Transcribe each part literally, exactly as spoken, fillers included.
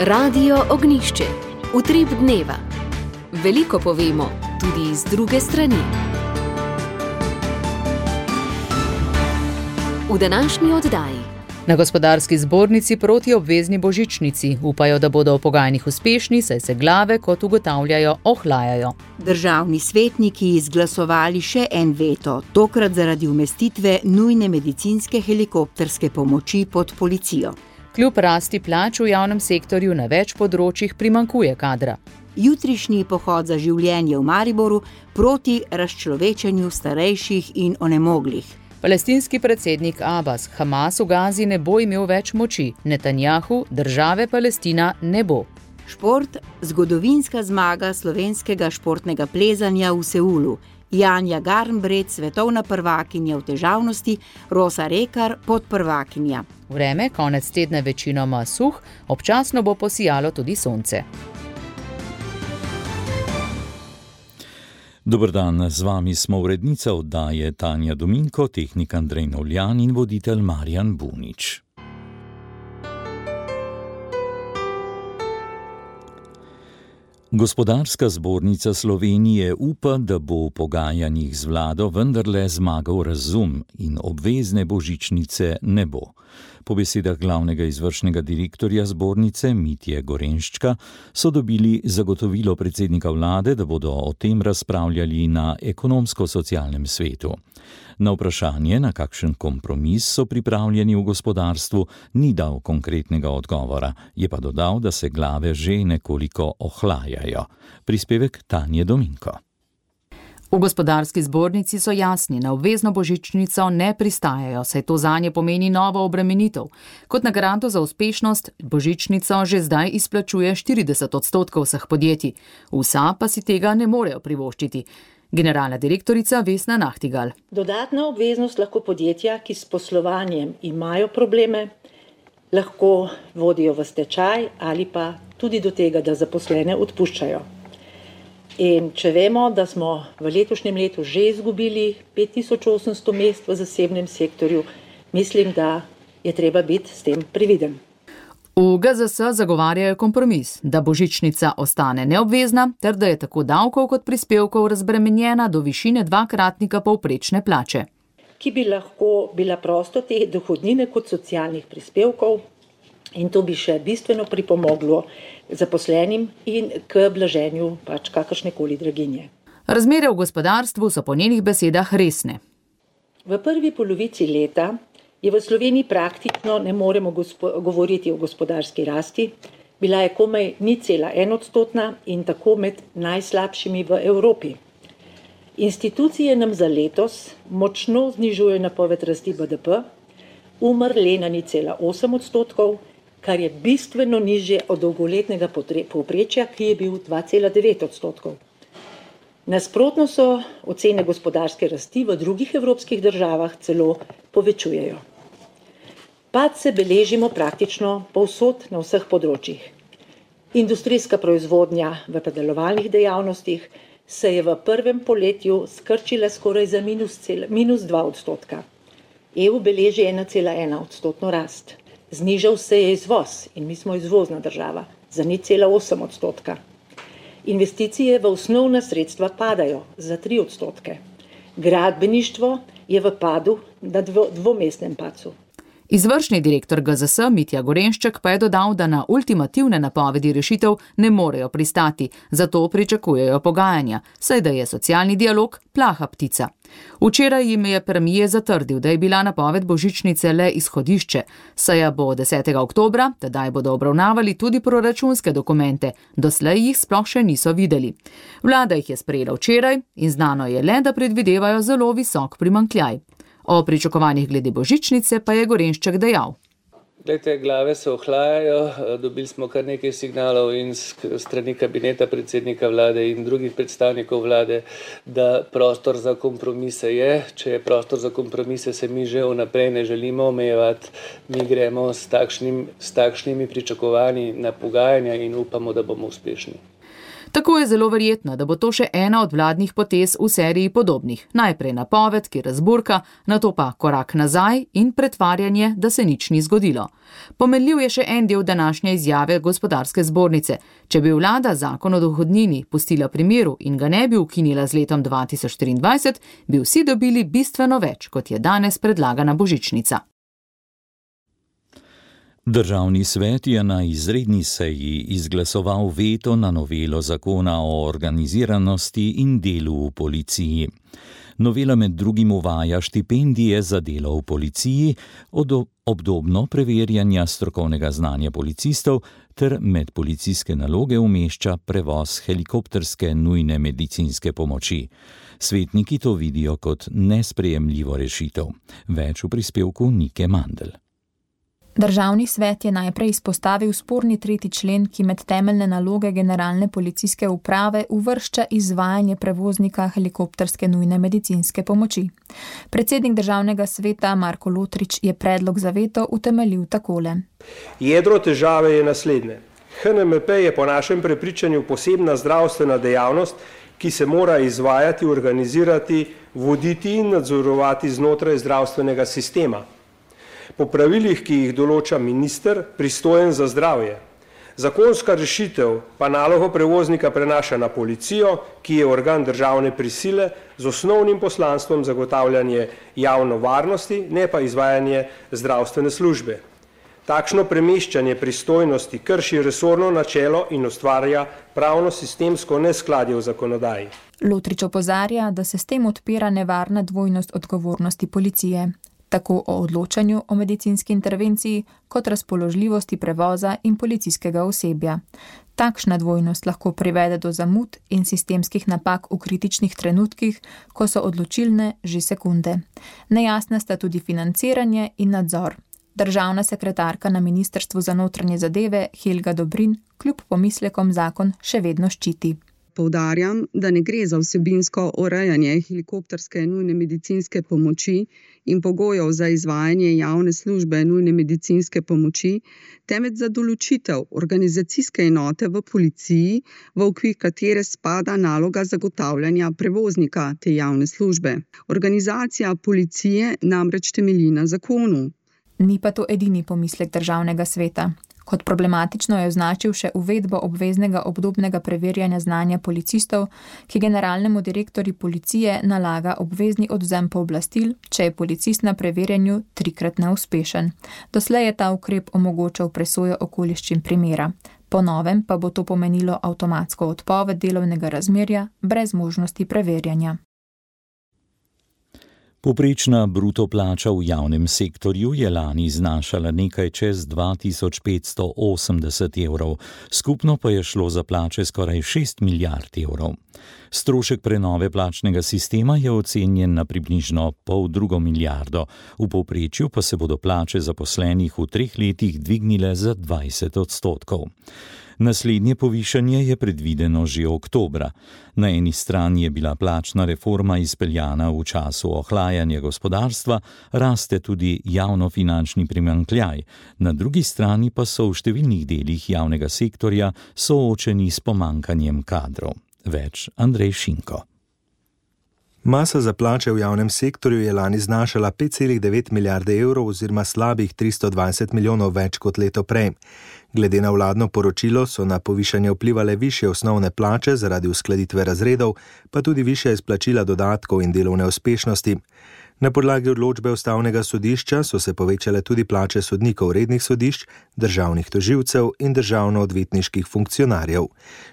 Radio Ognjišče. Utrip dneva. Veliko povemo, tudi iz druge strani. V današnji oddaji. Na gospodarski zbornici proti obvezni božičnici upajo, da bodo v pogajanjih uspešni, saj se glave, kot ugotavljajo, ohlajajo. Državni svetniki izglasovali še en veto, tokrat zaradi umestitve nujne medicinske helikopterske pomoči pod policijo. Kljub rasti plač v javnem sektorju na več področjih primanjkuje kadra. Jutrišnji pohod za življenje v Mariboru proti razčlovečenju starejših in onemoglih. Palestinski predsednik Abbas Hamas v Gazi ne bo imel več moči, Netanjahu države Palestina ne bo. Šport, zgodovinska zmaga slovenskega športnega plezanja v Seulu. Janja Garnbret, svetovna prvakinja v težavnosti, Rosa Rekar, podprvakinja. Vreme konec tedna večinoma suh, občasno bo posijalo tudi sonce. Dober dan, z vami smo urednica oddaje Tanja Dominko, tehnik Andrej Novljan in voditelj Marjan Bunič. Gospodarska zbornica Slovenije upa, da bo v pogajanjih z vlado vendarle zmagal razum in obvezne božičnice ne bo. Po besedah glavnega izvršnega direktorja zbornice Mitje Gorenščka so dobili zagotovilo predsednika vlade, da bodo o tem razpravljali na ekonomsko-socialnem svetu. Na vprašanje, na kakšen kompromis so pripravljeni v gospodarstvu, ni dal konkretnega odgovora, je pa dodal, da se glave že nekoliko ohlajajo. Prispevek Tanje Dominko. V gospodarski zbornici so jasni, na obvezno božičnico ne pristajajo, saj to zanje pomeni novo obremenitev. Kot nagrado za uspešnost božičnico že zdaj izplačuje štirideset odstotkov vseh podjetij, vsa pa si tega ne morejo privoščiti. Generalna direktorica Vesna Nahtigal. Dodatna obveznost lahko podjetja, ki s poslovanjem imajo probleme, lahko vodijo v stečaj ali pa tudi do tega, da zaposlene odpuščajo. In če vemo, da smo v letošnjem letu že izgubili pet tisoč osemsto mest v zasebnem sektorju, mislim, da je treba biti s tem previden. V G Z S zagovarjajo kompromis, da božičnica ostane neobvezna, ter da je tako davkov kot prispevkov razbremenjena do višine dvakratnika povprečne plače. Ki bi lahko bila prosto te dohodnine kot socialnih prispevkov in to bi še bistveno pripomoglo zaposlenim in k blaženju pač kakršnekoli draginje. Razmere v gospodarstvu so po njenih besedah resne. V prvi polovici leta je v Sloveniji praktično ne moremo gospo- govoriti o gospodarski rasti. Bila je komaj nič cela ena odstotna in tako med najslabšimi v Evropi. Institucije nam za letos močno znižujejo napoved rasti B D P, umrle na nič cela osem odstotkov, kar je bistveno nižje od dolgoletnega povprečja, ki je bil dva cela devet odstotkov. Nasprotno so ocene gospodarske rasti v drugih evropskih državah celo povečujejo. Pad se beležimo praktično povsod na vseh področjih. Industrijska proizvodnja v predelovalnih dejavnostih se je v prvem poletju skrčila skoraj za minus, cel, minus dva odstotka. E U beleži ena cela ena odstotno rast. Znižal se je izvoz in mi smo izvozna država za nič cela osem odstotka. Investicije v osnovna sredstva padajo za tri odstotke. Gradbeništvo je v padu na dvo, dvomestnem padcu. Izvršni direktor G Z S Mitja Gorenšček pa je dodal, da na ultimativne napovedi rešitev ne morejo pristati, zato pričakujejo pogajanja, saj da je socialni dialog plaha ptica. Včeraj jim je premier zatrdil, da je bila napoved božičnice le izhodišče, saj bo desetega oktobra, tedaj bodo obravnavali tudi proračunske dokumente, doslej jih sploh še niso videli. Vlada jih je sprejela včeraj in znano je le, da predvidevajo zelo visok primanjkljaj. O pričakovanjih glede božičnice pa je Gorenšček dejal. Glejte, glave se ohlajajo, dobili smo kar nekaj signalov in strani kabineta predsednika vlade in drugih predstavnikov vlade, da prostor za kompromise je. Če je prostor za kompromise, se mi že vnaprej ne želimo omejevati. Mi gremo s, takšnim, s takšnimi pričakovanji na pogajanja in upamo, da bomo uspešni. Tako je zelo verjetno, da bo to še ena od vladnih potez v seriji podobnih. Najprej napoved, ki razburka, nato pa korak nazaj in pretvarjanje, da se nič ni zgodilo. Pomenljiv je še en del današnje izjave gospodarske zbornice. Če bi vlada zakon o dohodnini pustila pri miru in ga ne bi ukinila z letom dva tisoč triindvajset, bi vsi dobili bistveno več, kot je danes predlagana božičnica. Državni svet je na izredni seji izglasoval veto na novelo zakona o organiziranosti in delu v policiji. Novela med drugim uvaja štipendije za delo v policiji, obdobno preverjanja strokovnega znanja policistov ter med policijske naloge umešča prevoz helikopterske nujne medicinske pomoči. Svetniki to vidijo kot nesprejemljivo rešitev. Več v prispevku Nike Mandl. Državni svet je najprej izpostavil sporni tretji člen, ki med temeljne naloge generalne policijske uprave uvršča izvajanje prevoznika helikopterske nujne medicinske pomoči. Predsednik državnega sveta Marko Lotrič je predlog za veto utemeljil takole. Jedro težave je naslednje. H N M P je po našem prepričanju posebna zdravstvena dejavnost, ki se mora izvajati, organizirati, voditi in nadzorovati znotraj zdravstvenega sistema. Po pravilih, ki jih določa minister, pristojen za zdravje. Zakonska rešitev pa nalogo prevoznika prenaša na policijo, ki je organ državne prisile z osnovnim poslanstvom zagotavljanje javno varnosti, ne pa izvajanje zdravstvene službe. Takšno premeščanje pristojnosti krši resorno načelo in ustvarja pravno sistemsko neskladje v zakonodaji. Lotrič opozarja, da se s tem odpira nevarna dvojnost odgovornosti policije. Tako o odločanju o medicinski intervenciji, kot razpoložljivosti prevoza in policijskega osebja. Takšna dvojnost lahko privede do zamud in sistemskih napak v kritičnih trenutkih, ko so odločilne že sekunde. Nejasna sta tudi financiranje in nadzor. Državna sekretarka na Ministrstvu za notranje zadeve Helga Dobrin kljub pomislekom zakon še vedno ščiti. Poudarjam, da ne gre za vsebinsko urejanje helikopterske nujne medicinske pomoči in pogojev za izvajanje javne službe nujne medicinske pomoči, temveč za določitev organizacijske enote v policiji, v okvir katere spada naloga zagotavljanja prevoznika te javne službe. Organizacija policije namreč temelji na zakonu. Ni pa to edini pomislek državnega sveta. Kot problematično je označil še uvedbo obveznega obdobnega preverjanja znanja policistov, ki generalnemu direktorju policije nalaga obvezni odvzem pooblastil, če je policist na preverjanju trikrat neuspešen. Doslej je ta ukrep omogočal presojo okoliščin primera. Po novem pa bo to pomenilo avtomatsko odpoved delovnega razmerja brez možnosti preverjanja. Povprečna bruto plača v javnem sektorju je lani znašala nekaj čez dva tisoč petsto osemdeset evrov, skupno pa je šlo za plače skoraj šest milijard evrov. Strošek prenove plačnega sistema je ocenjen na približno pol drugo milijardo, v povprečju pa se bodo plače zaposlenih v treh letih dvignile za dvajset odstotkov. Naslednje povišanje je predvideno že oktobra. Na eni strani je bila plačna reforma izpeljana v času ohlajanja gospodarstva, raste tudi javnofinančni primanjkljaj, na drugi strani pa so v številnih delih javnega sektorja soočeni s pomanjkanjem kadrov. Več Andrej Šinko. Masa za plače v javnem sektorju je lani znašala pet celih devet milijarde evrov oziroma slabih tristo dvajset milijonov več kot leto prej. Glede na vladno poročilo so na povišanje vplivale višje osnovne plače zaradi uskladitve razredov, pa tudi višje izplačila dodatkov in delovne uspešnosti. Na podlagi odločbe ustavnega sodišča so se povečale tudi plače sodnikov rednih sodišč, državnih tožilcev in državno-odvetniških funkcionarjev.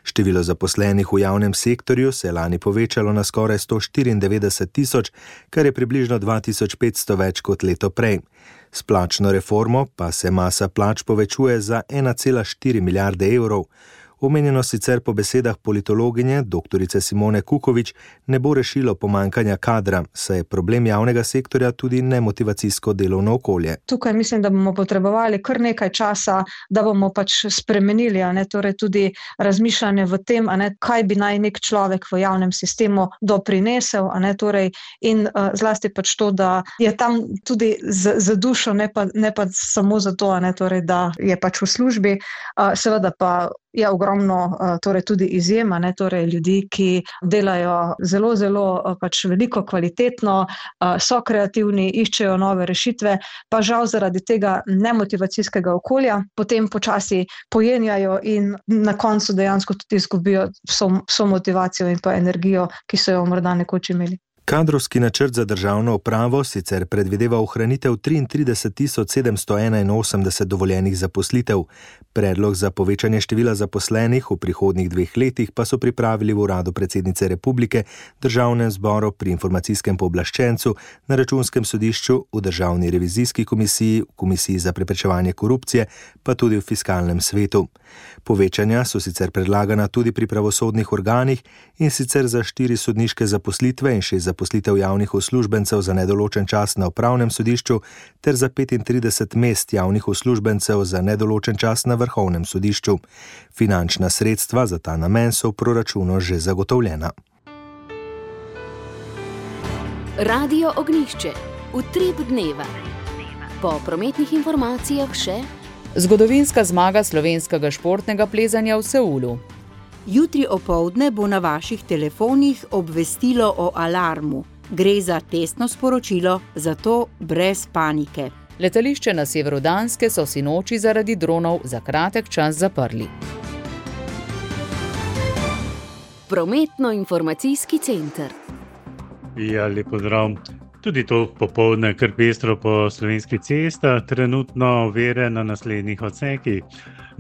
Število zaposlenih v javnem sektorju se je lani povečalo na skoraj sto štiriindevetdeset tisoč, kar je približno dva tisoč petsto več kot leto prej. S plačno reformo pa se masa plač povečuje za ena cela štiri milijarde evrov. Omenjeno sicer po besedah politologinje doktorice Simone Kukovič ne bo rešilo pomanjkanja kadra, saj je problem javnega sektorja tudi nemotivacijsko delovno okolje. Tukaj mislim, da bomo potrebovali kar nekaj časa, da bomo pač spremenili, a ne, torej tudi razmišljanje v tem, a ne, kaj bi naj nek človek v javnem sistemu doprinesel, a ne, torej in uh, zlasti pač to, da je tam tudi z, z dušo, ne pa, ne pa samo zato, a ne, torej, da je pač v službi, uh, seveda pa je ogromno ogromno torej tudi izjema, ne, torej ljudi, ki delajo zelo, zelo pač veliko kvalitetno, so kreativni, iščejo nove rešitve, pa žal zaradi tega nemotivacijskega okolja potem počasi pojenjajo in na koncu dejansko tudi izgubijo vso, vso motivacijo in pa energijo, ki so jo morda nekoč imeli. Kadrovski načrt za državno upravo sicer predvideva ohranitev triintrideset tisoč sedemsto enainosemdeset dovoljenih zaposlitev. Predlog za povečanje števila zaposlenih v prihodnjih dveh letih pa so pripravili v uradu predsednice republike, državnem zboru, pri informacijskem pooblaščencu, na računskem sodišču, v državni revizijski komisiji, v komisiji za preprečevanje korupcije, pa tudi v fiskalnem svetu. Povečanja so sicer predlagana tudi pri pravosodnih organih, in sicer za štiri sodniške zaposlitve in šest zaposlitev javnih uslužbencev za nedoločen čas na upravnem sodišču ter za petintrideset mest javnih uslužbencev za nedoločen čas na vrhovnem sodišču. Finančna sredstva za ta namen so v proračunu že zagotovljena. Radio Ognjišče. Utrip dneva. Po prometnih informacijah še zgodovinska zmaga slovenskega športnega plezanja v Seulu. Jutri opoldne bo na vaših telefonih obvestilo o alarmu. Gre za testno sporočilo, zato brez panike. Letališče na severu Danske so sinoči zaradi dronov za kratek čas zaprli. Prometno-informacijski center. Ja, lep pozdrav. Tudi to popoldne kar pestro po slovenskih cestah, trenutno ovire na naslednjih odsekih.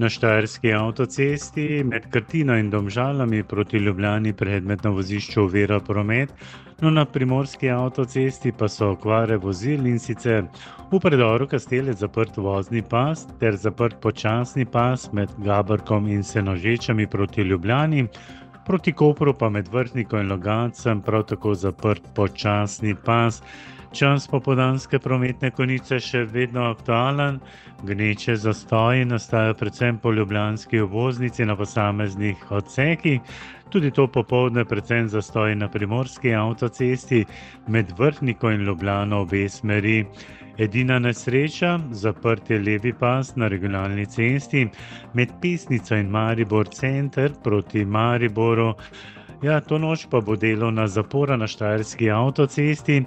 Na Štajerski avtocesti med Krtino in Domžalami proti Ljubljani predmet na vozišču ovira promet, no na Primorski avtocesti pa so okvare vozil, in sicer v predoru Kastelec zaprt vozni pas ter zaprt počasni pas med Gaberkom in Senožečami proti Ljubljani, proti Kopru pa med Vrhnikom in Logatcem prav tako zaprt počasni pas. Čas popoldanske prometne konice še vedno aktualen, gneče zastoji nastajajo predvsem po ljubljanski obvoznici na posameznih odsekih, tudi to popoldne predvsem zastoji na Primorski avtocesti med Vrhniko in Ljubljano obe smeri. Edina nesreča, zaprt je levi pas na regionalni cesti med Pesnico in Maribor center proti Mariboru. Ja, to noč pa bo delovna zapora na Štajerski avtocesti.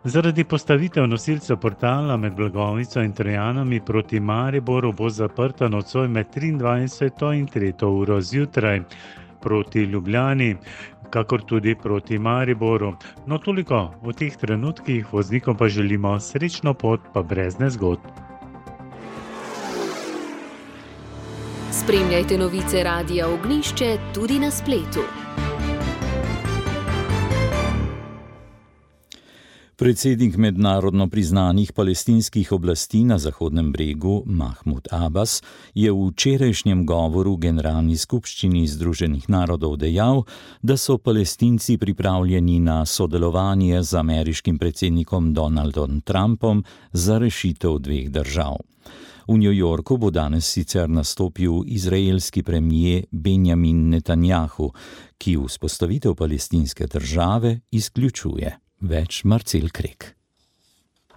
Zaradi postavitev nosilcev portala med Blagovnico in Trojanami proti Mariboru bo zaprta nocoj med triindvajseto in tretjo uro zjutraj proti Ljubljani, kakor tudi proti Mariboru. No, toliko v teh trenutkih, voznikom pa želimo srečno pot, pa brez nezgod. Spremljajte novice Radia Ognjišče tudi na spletu. Predsednik mednarodno priznanih palestinskih oblasti na Zahodnem bregu Mahmud Abbas je v včerajšnjem govoru Generalni skupščini Združenih narodov dejal, da so Palestinci pripravljeni na sodelovanje z ameriškim predsednikom Donaldom Trumpom za rešitev dveh držav. V New Yorku bo danes sicer nastopil izraelski premier Benjamin Netanjahu, ki vzpostavitev palestinske države izključuje. Več Marcel Krek.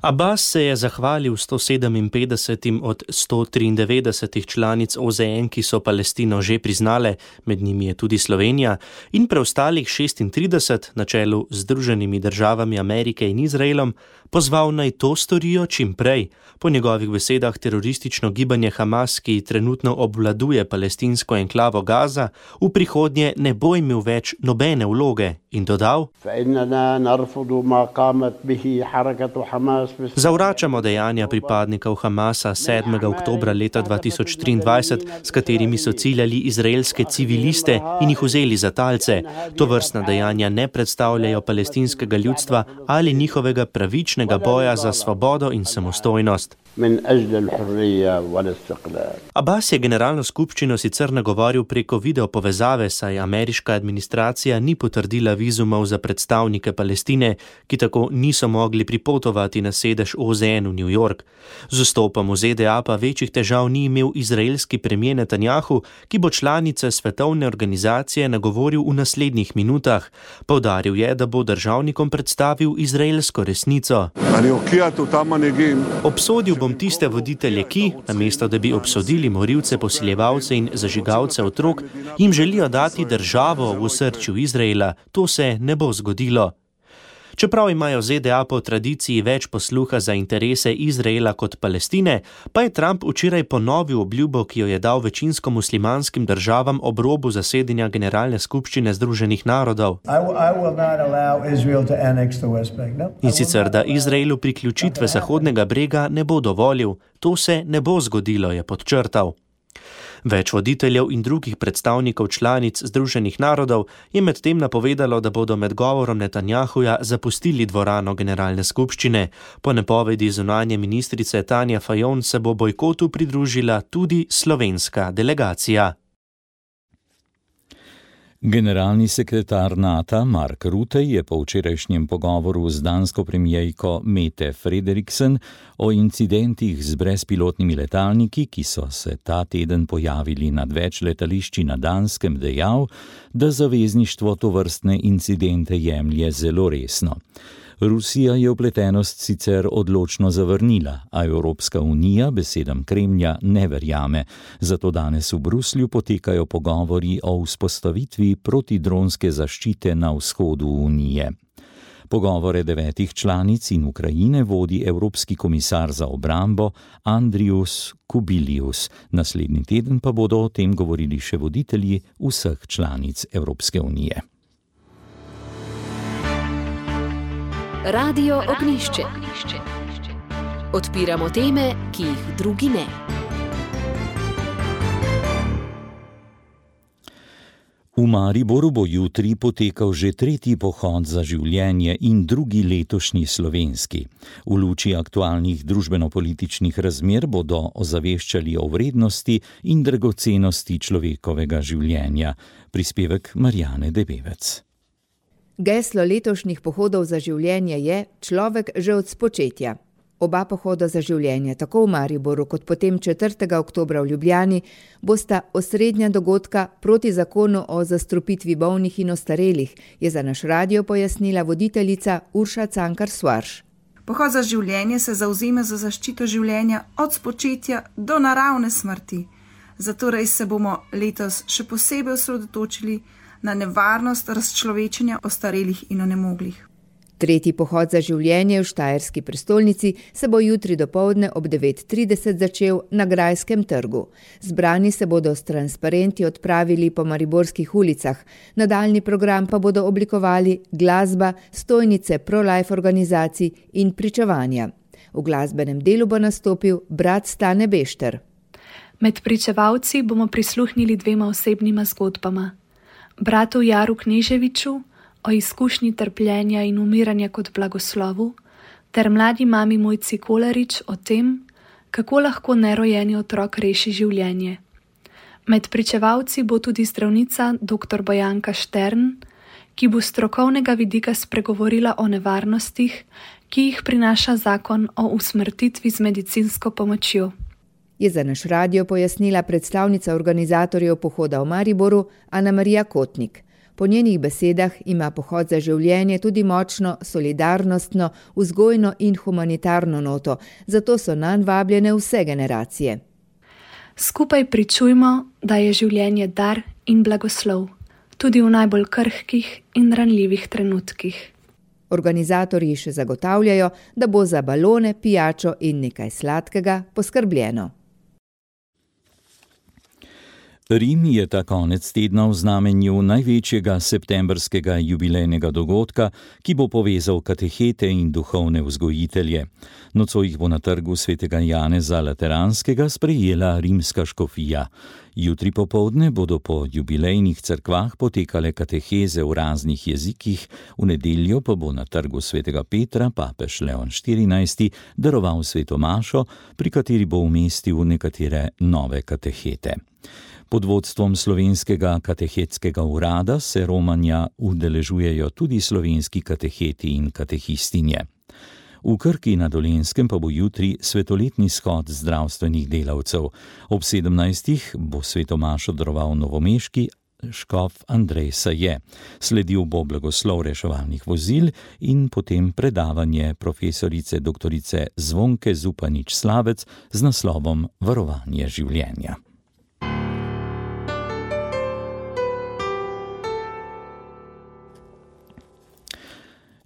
Abbas se je zahvalil sto sedeminpetdesetim od sto triindevetdesetih članic O Z N, ki so Palestino že priznale, med njimi je tudi Slovenija, in preostalih šestintrideset na čelu z Združenimi državami Amerike in Izraelom, pozval naj to storijo čim prej. Po njegovih besedah teroristično gibanje Hamas, ki trenutno obvladuje palestinsko enklavo Gaza, v prihodnje ne bo imel več nobene vloge, in dodal: Zavračamo dejanja pripadnikov Hamasa sedmega oktobra leta dva tisoč triindvajset, s katerimi so ciljali izraelske civiliste in jih vzeli za talce. Tovrstna dejanja ne predstavljajo palestinskega ljudstva ali njihovega pravičnega boja za svobodo in samostojnost. Abbas je generalno skupščino sicer nagovoril preko video povezave, saj ameriška administracija ni potrdila vizumov za predstavnike Palestine, ki tako niso mogli pripotovati na sedež O Z N v New York. Z vstopom v Z D A pa večjih težav ni imel izraelski premier Netanjahu, ki bo članice svetovne organizacije nagovoril v naslednjih minutah. Poudaril je, da bo državnikom predstavil izraelsko resnico. Obsodil bom tiste voditelje, ki, namesto da bi obsodili morilce, posiljevalce in zažigalce otrok, jim želijo dati državo v osrčju Izraela. To se ne bo zgodilo. Čeprav imajo Z D A po tradiciji več posluha za interese Izraela kot Palestine, pa je Trump včeraj ponovil obljubo, ki jo je dal večinsko muslimanskim državam ob robu zasedanja Generalne skupščine Združenih narodov. In sicer, da Izraelu priključitve Zahodnega brega ne bo dovolil. To se ne bo zgodilo, je podčrtal. Več voditeljev in drugih predstavnikov članic Združenih narodov je medtem napovedalo, da bodo med govorom Netanjahuja zapustili dvorano Generalne skupščine. Po napovedi zunanje ministrice Tanja Fajon se bo bojkotu pridružila tudi slovenska delegacija. Generalni sekretar NATO Mark Rutte je po včerajšnjem pogovoru z dansko premijejko Mette Frederiksen o incidentih z brezpilotnimi letalniki, ki so se ta teden pojavili nad več letališči na Danskem, dejal, da zavezništvo tovrstne incidente jemlje zelo resno. Rusija je vpletenost sicer odločno zavrnila, a Evropska unija besedam Kremlja ne verjame. Zato danes v Bruslju potekajo pogovori o vzpostavitvi protidronske zaščite na vzhodu unije. Pogovore devetih članic in Ukrajine vodi Evropski komisar za obrambo Andrius Kubilius. Naslednji teden pa bodo o tem govorili še voditelji vseh članic Evropske unije. Radio Ognjišče. Odpiramo teme, ki jih drugi ne. V Mariboru bo jutri potekal že tretji pohod za življenje in drugi letošnji slovenski. V luči aktualnih družbeno-političnih razmer bodo ozaveščali o vrednosti in dragocenosti človekovega življenja. Prispevek Marjane Debevec. Geslo letošnjih pohodov za življenje je človek že od spočetja. Oba pohoda za življenje, tako v Mariboru kot potem četrtega oktobra v Ljubljani, bosta osrednja dogodka proti zakonu o zastrupitvi bolnih in ostarelih, je za naš radio pojasnila voditeljica Urša Cankar-Svarš. Pohod za življenje se zavzema za zaščito življenja od spočetja do naravne smrti. Zatorej se bomo letos še posebej osredotočili na nevarnost razčlovečenja ostarelih in onemoglih. Tretji pohod za življenje v štajerski prestolnici se bo jutri dopoldne ob devet trideset začel na Grajskem trgu. Zbrani se bodo s transparenti odpravili po mariborskih ulicah, nadaljnji program pa bodo oblikovali glasba, stojnice pro-life organizacij in pričevanja. V glasbenem delu bo nastopil brat Stane Bešter. Med pričevalci bomo prisluhnili dvema osebnima zgodbama. Bratu Jaru Kneževiču o izkušnji trpljenja in umiranja kot blagoslovu, ter mladi mami Mojci Kolarič o tem, kako lahko nerojeni otrok reši življenje. Med pričevalci bo tudi zdravnica dr. Bojanka Štern, ki bo s strokovnega vidika spregovorila o nevarnostih, ki jih prinaša zakon o usmrtitvi z medicinsko pomočjo. Je za naš radio pojasnila predstavnica organizatorjev pohoda v Mariboru Ana Marija Kotnik. Po njenih besedah ima pohod za življenje tudi močno solidarnostno, vzgojno in humanitarno noto, zato so nanj vabljene vse generacije. Skupaj pričujmo, da je življenje dar in blagoslov, tudi v najbolj krhkih in ranljivih trenutkih. Organizatorji še zagotavljajo, da bo za balone, pijačo in nekaj sladkega poskrbljeno. Rim je ta konec tedna v znamenju največjega septembrskega jubilejnega dogodka, ki bo povezal katehete in duhovne vzgojitelje. Nocoj jih bo na trgu svetega Janeza Lateranskega sprejela rimska škofija. Jutri popoldne bodo po jubilejnih cerkvah potekale kateheze v raznih jezikih, v nedeljo pa bo na trgu svetega Petra papež Leon štirinajsti daroval sveto mašo, pri kateri bo umestil nekatere nove katehete. Pod vodstvom slovenskega katehetskega urada se romanja udeležujejo tudi slovenski kateheti in katehistinje. V Krki na Dolenjskem pa bo jutri svetoletni shod zdravstvenih delavcev. Ob sedemnajstih bo sveto mašo daroval novomeški škof Andrej Saje. Sledil bo blagoslov reševalnih vozil in potem predavanje profesorice doktorice Zvonke Zupanič-Slavec z naslovom Varovanje življenja.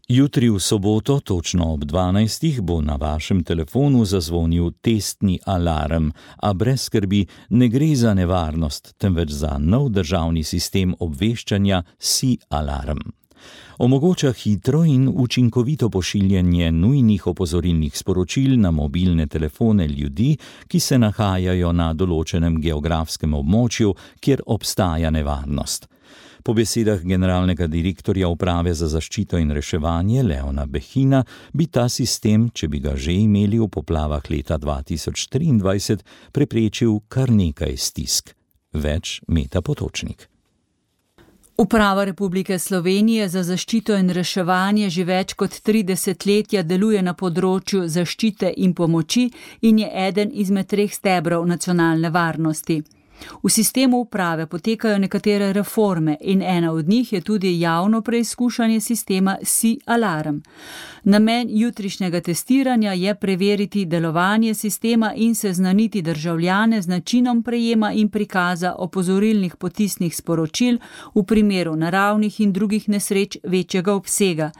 Jutri v soboto, točno ob dvanajstih, bo na vašem telefonu zazvonil testni alarm, a brez skrbi, ne gre za nevarnost, temveč za nov državni sistem obveščanja S I Alarm. Omogoča hitro in učinkovito pošiljanje nujnih opozorilnih sporočil na mobilne telefone ljudi, ki se nahajajo na določenem geografskem območju, kjer obstaja nevarnost. Po besedah generalnega direktorja Uprave za zaščito in reševanje Leona Behina bi ta sistem, če bi ga že imeli v poplavah leta dva tisoč triindvajset, preprečil kar nekaj stisk. Več Meta Potočnik. Uprava Republike Slovenije za zaščito in reševanje že več kot tri desetletja deluje na področju zaščite in pomoči in je eden izmed treh stebrov nacionalne varnosti. V sistemu uprave potekajo nekatere reforme in ena od njih je tudi javno preizkušanje sistema S I Alarm. Namen jutrišnjega testiranja je preveriti delovanje sistema in seznaniti državljane z načinom prejema in prikaza opozorilnih potisnih sporočil v primeru naravnih in drugih nesreč večjega obsega.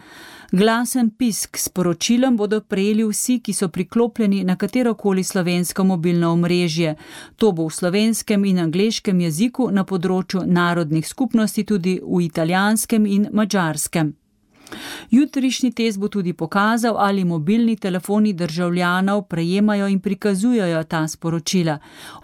Glasen pisk s sporočilom bodo prejeli vsi, ki so priklopljeni na katerokoli slovensko mobilno omrežje. To bo v slovenskem in angleškem jeziku, na področju narodnih skupnosti tudi v italijanskem in madžarskem. Jutrišnji test bo tudi pokazal, ali mobilni telefoni državljanov prejemajo in prikazujejo ta sporočila.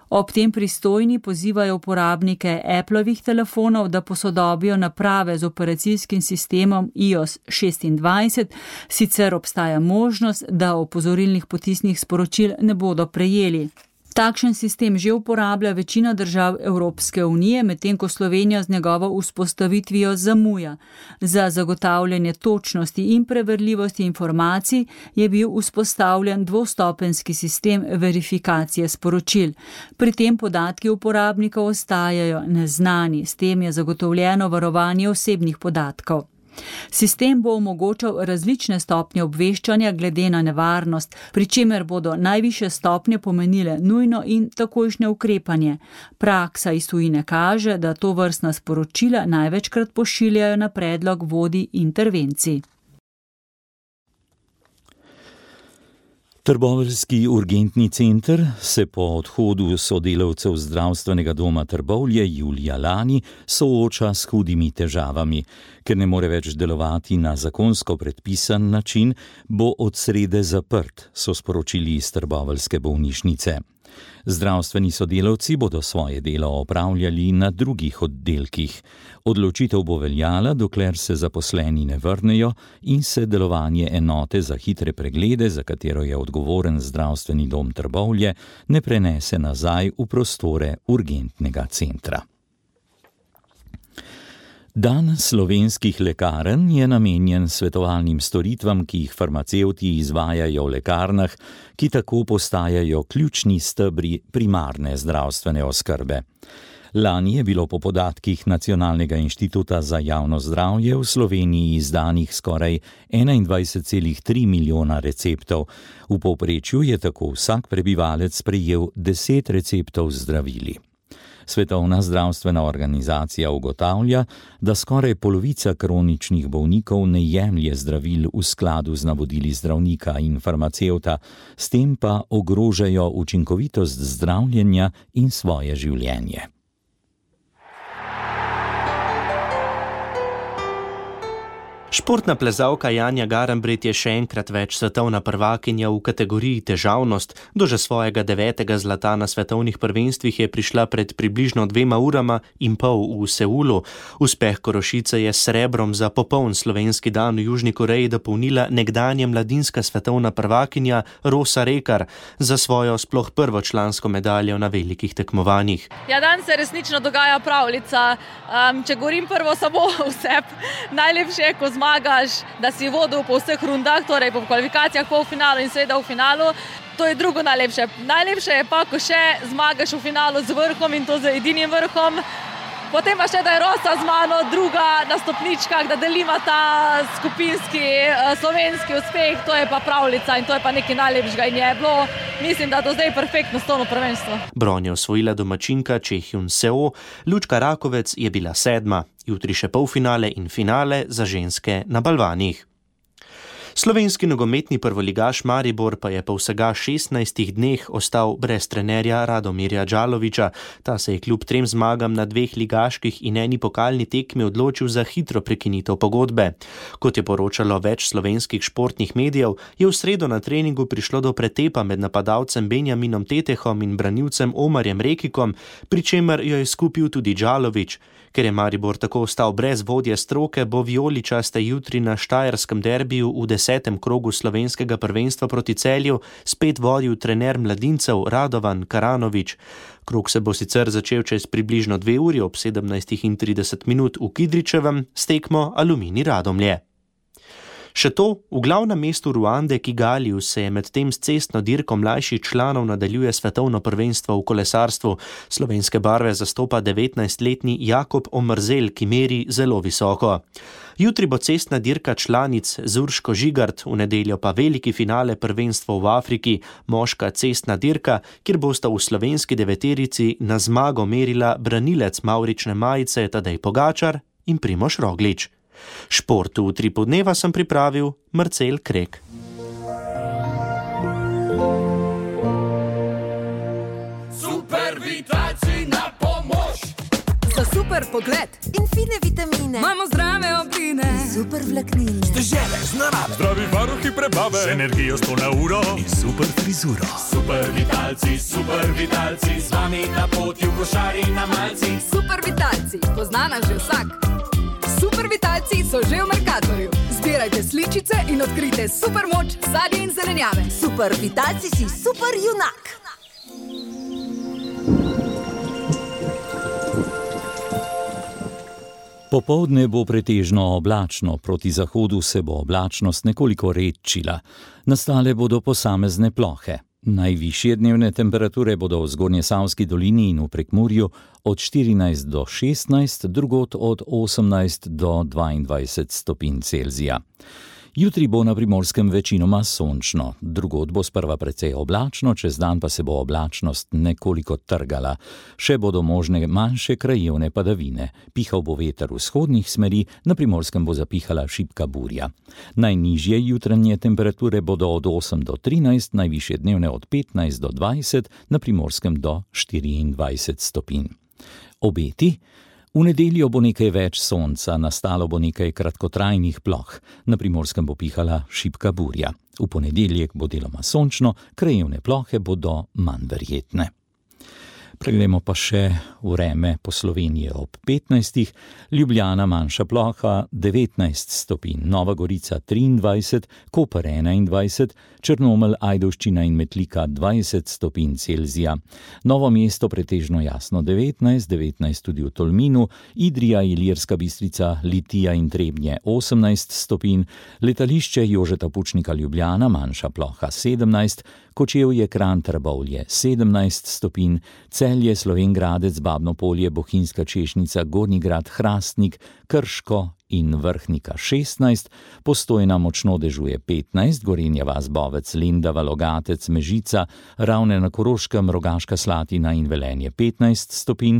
Ob tem pristojni pozivajo uporabnike Applovih telefonov, da posodobijo naprave z operacijskim sistemom i o es šestindvajset, sicer obstaja možnost, da opozorilnih potisnih sporočil ne bodo prejeli. Takšen sistem že uporablja večina držav Evropske unije, medtem ko Slovenija z njegovo vzpostavitvijo zamuja. Za zagotavljanje točnosti in preverljivosti informacij je bil vzpostavljen dvostopenjski sistem verifikacije sporočil. Pri tem podatki uporabnikov ostajajo neznani, s tem je zagotovljeno varovanje osebnih podatkov. Sistem bo omogočal različne stopnje obveščanja glede na nevarnost, pri čemer bodo najvišje stopnje pomenile nujno in takojšnje ukrepanje. Praksa iz tujine kaže, da tovrstna sporočila največkrat pošiljajo na predlog vodij intervencij. Trboveljski urgentni center se po odhodu sodelavcev zdravstvenega doma Trbovlje julija lani sooča s hudimi težavami. Ker ne more več delovati na zakonsko predpisan način, bo od srede zaprt, so sporočili iz trboveljske bolnišnice. Zdravstveni sodelavci bodo svoje delo opravljali na drugih oddelkih. Odločitev bo veljala, dokler se zaposleni ne vrnejo in se delovanje enote za hitre preglede, za katero je odgovoren zdravstveni dom Trbovlje, ne prenese nazaj v prostore urgentnega centra. Dan slovenskih lekarn je namenjen svetovalnim storitvam, ki jih farmacevti izvajajo v lekarnah, ki tako postajajo ključni stebri primarne zdravstvene oskrbe. Lani je bilo po podatkih Nacionalnega inštituta za javno zdravje v Sloveniji izdanih skoraj enaindvajset celih tri milijona receptov. V povprečju je tako vsak prebivalec prejel deset receptov z zdravili. Svetovna zdravstvena organizacija ugotavlja, da skoraj polovica kroničnih bolnikov ne jemlje zdravil v skladu z navodili zdravnika in farmacevta, s tem pa ogrožajo učinkovitost zdravljenja in svoje življenje. Športna plezalka Janja Garnbret je še enkrat več svetovna prvakinja v kategoriji težavnost. Do že svojega devetega zlata na svetovnih prvenstvih je prišla pred približno dvema urama in pol v Seulu. Uspeh Korošice je s srebrom za popoln slovenski dan v Južni Koreji dopolnila nekdanja mladinska svetovna prvakinja Rosa Rekar za svojo sploh prvo člansko medaljo na velikih tekmovanjih. Ja, dan se resnično dogaja pravljica. Um, če govorim prvo samo vseb, najlepše je, ko zmagaš, da si vodil po vseh rundah, torej po kvalifikacijah, polfinalu in seveda v finalu. To je drugo najlepše. Najlepše je pa, ko še zmagaš v finalu z vrhom in to z edinim vrhom. Potem pa še, da je Rosa z mano druga na stopničkah, da delima ta skupinski slovenski uspeh, to je pa pravljica in to je pa nekaj najlepšega in je bilo, mislim, da do zdaj perfektno stolno prvenstvo. Bron je osvojila domačinka Čehyun Seo, Lučka Rakovec je bila sedma, jutri še polfinale in finale za ženske na balvanih. Slovenski nogometni prvoligaš Maribor pa je po vsega šestnajstih dneh ostal brez trenerja Radomirja Đalovića. Ta se je kljub trem zmagam na dveh ligaških in eni pokalni tekmi odločil za hitro prekinitev pogodbe. Kot je poročalo več slovenskih športnih medijev, je v sredo na treningu prišlo do pretepa med napadalcem Benjaminom Tetehom in branilcem Omarjem Rekikom, pri čemer jo je skupil tudi Đalović. Ker je Maribor tako ostal brez vodje stroke, bo vijoličaste jutri na štajerskem derbiju v desetem krogu slovenskega prvenstva proti Celju spet vodil trener mladincev Radovan Karanović. Krog se bo sicer začel čez približno dve uri ob sedemnajst trideset minut v Kidričevem s tekmo Aluminij Radomlje. Še to, v glavnem mestu Ruande, Kigaliju, se je med tem s cestno dirko mlajših članov nadaljuje svetovno prvenstvo v kolesarstvu. Slovenske barve zastopa devetnajstletni Jakob Omrzel, ki meri zelo visoko. Jutri bo cestna dirka članic z Urško Žigart, v nedeljo pa veliki finale prvenstva v Afriki, moška cestna dirka, kjer bosta v slovenski deveterici na zmago merila branilec mavrične majice Tadej Pogačar in Primož Roglič. Športu v Utripu dneva sem pripravil Marcel Krek. Super vitalci na pomoč! Za super pogled in fine vitamine imamo zdrave obline, super vlaknine, stežele z narave, zdravi varuhi prebave, z energijo sto na uro in super frizuro. Super vitalci, super vitalci, z vami na poti v košari na malci. Super vitalci, poznana že vsak. Super vitalci so že v Mercatorju. Zbirajte sličice in odkrite super moč sadja in zelenjave. Super vitalci si super junak. Popoldne bo pretežno oblačno, proti zahodu se bo oblačnost nekoliko redčila. Nastale bodo posamezne plohe. Najvišje dnevne temperature bodo v Zgornjesavski dolini in v Prekmurju od štirinajst do šestnajst, drugod od osemnajst do dvaindvajset stopinj Celzija. Jutri bo na Primorskem večinoma sončno, drugod bo sprva precej oblačno, čez dan pa se bo oblačnost nekoliko trgala. Še bodo možne manjše krajevne padavine. Pihal bo veter vzhodnih smeri, na Primorskem bo zapihala šibka burja. Najnižje jutranje temperature bodo od osem do trinajst, najvišje dnevne od petnajst do dvajset, na Primorskem do štiriindvajset stopinj. Obeti? V nedeljo bo nekaj več sonca, nastalo bo nekaj kratkotrajnih ploh. Na Primorskem bo pihala šibka burja. V ponedeljek bo deloma sončno, krajevne plohe bodo manj verjetne. Preglejmo pa še vreme po Sloveniji ob petnajstih, Ljubljana manjša ploha devetnajst stopinj, Nova Gorica triindvajset, Koper enaindvajset, Črnomelj, Ajdovščina in Metlika dvajset stopinj Celzija, Novo mesto pretežno jasno devetnajst, devetnajst tudi v Tolminu, Idrija, Ilirska Bistrica, Litija in Trebnje osemnajst stopinj, letališče Jožeta Pučnika Ljubljana manjša ploha sedemnajst, Kočevje, Kranj, Trbovlje sedemnajst stopinj, Celje, Slovenj Gradec, Babno Polje, Bohinjska Češnica, Gornji Grad, Hrastnik, Krško in Vrhnika šestnajst, Postojna močno dežuje petnajst, Gorenja vas, Bovec, Lendava, Logatec, Mežica, Ravne na Koroškem, Rogaška Slatina in Velenje petnajst stopinj,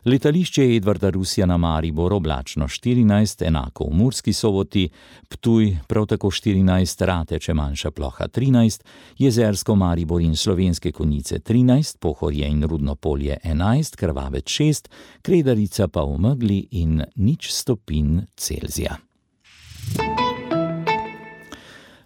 letališče Edvarda Rusjana Maribor oblačno štirinajst, enako v Murski Soboti, Ptuj prav tako štirinajst, Rateče manjša ploha trinajst, Jezersko, Maribor in Slovenske Konjice trinajst, Pohorje in Rudno Polje enajst, Krvavec šest, Kredarica pa v megli in nič stopinj Celzija.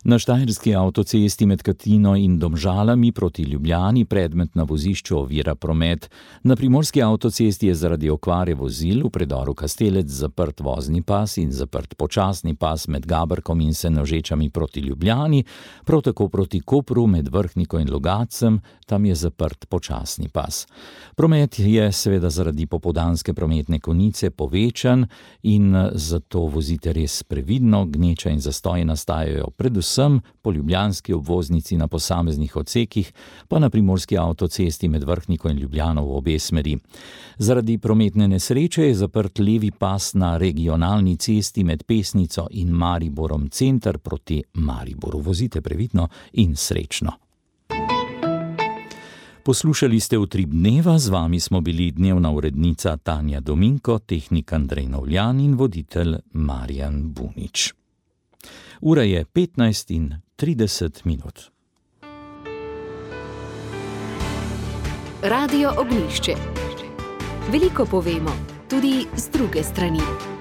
Na štajerski avtocesti med Katino in Domžalami proti Ljubljani predmet na vozišču ovira promet. Na primorski avtocesti je zaradi okvare vozil v predoru Kastelec zaprt vozni pas in zaprt počasni pas med Gabrkom in Senožečami proti Ljubljani, prav tako proti Kopru med Vrhniko in Logacem, tam je zaprt počasni pas. Promet je seveda zaradi popoldanske prometne konice povečan in zato vozite res previdno, gneča in zastoji nastajajo predvsem predvsem po ljubljanski obvoznici na posameznih odsekih, pa na primorski avtocesti med Vrhniko in Ljubljano v obe smeri. Zaradi prometne nesreče je zaprt levi pas na regionalni cesti med Pesnico in Mariborom center proti Mariboru. Vozite previdno in srečno. Poslušali ste Utrip dneva, z vami smo bili dnevna urednica Tanja Dominko, tehnik Andrej Novljan in voditelj Marjan Bunič. Ura je petnajst in trideset minut. Radio Ognjišče. Veliko povemo, tudi z druge strani.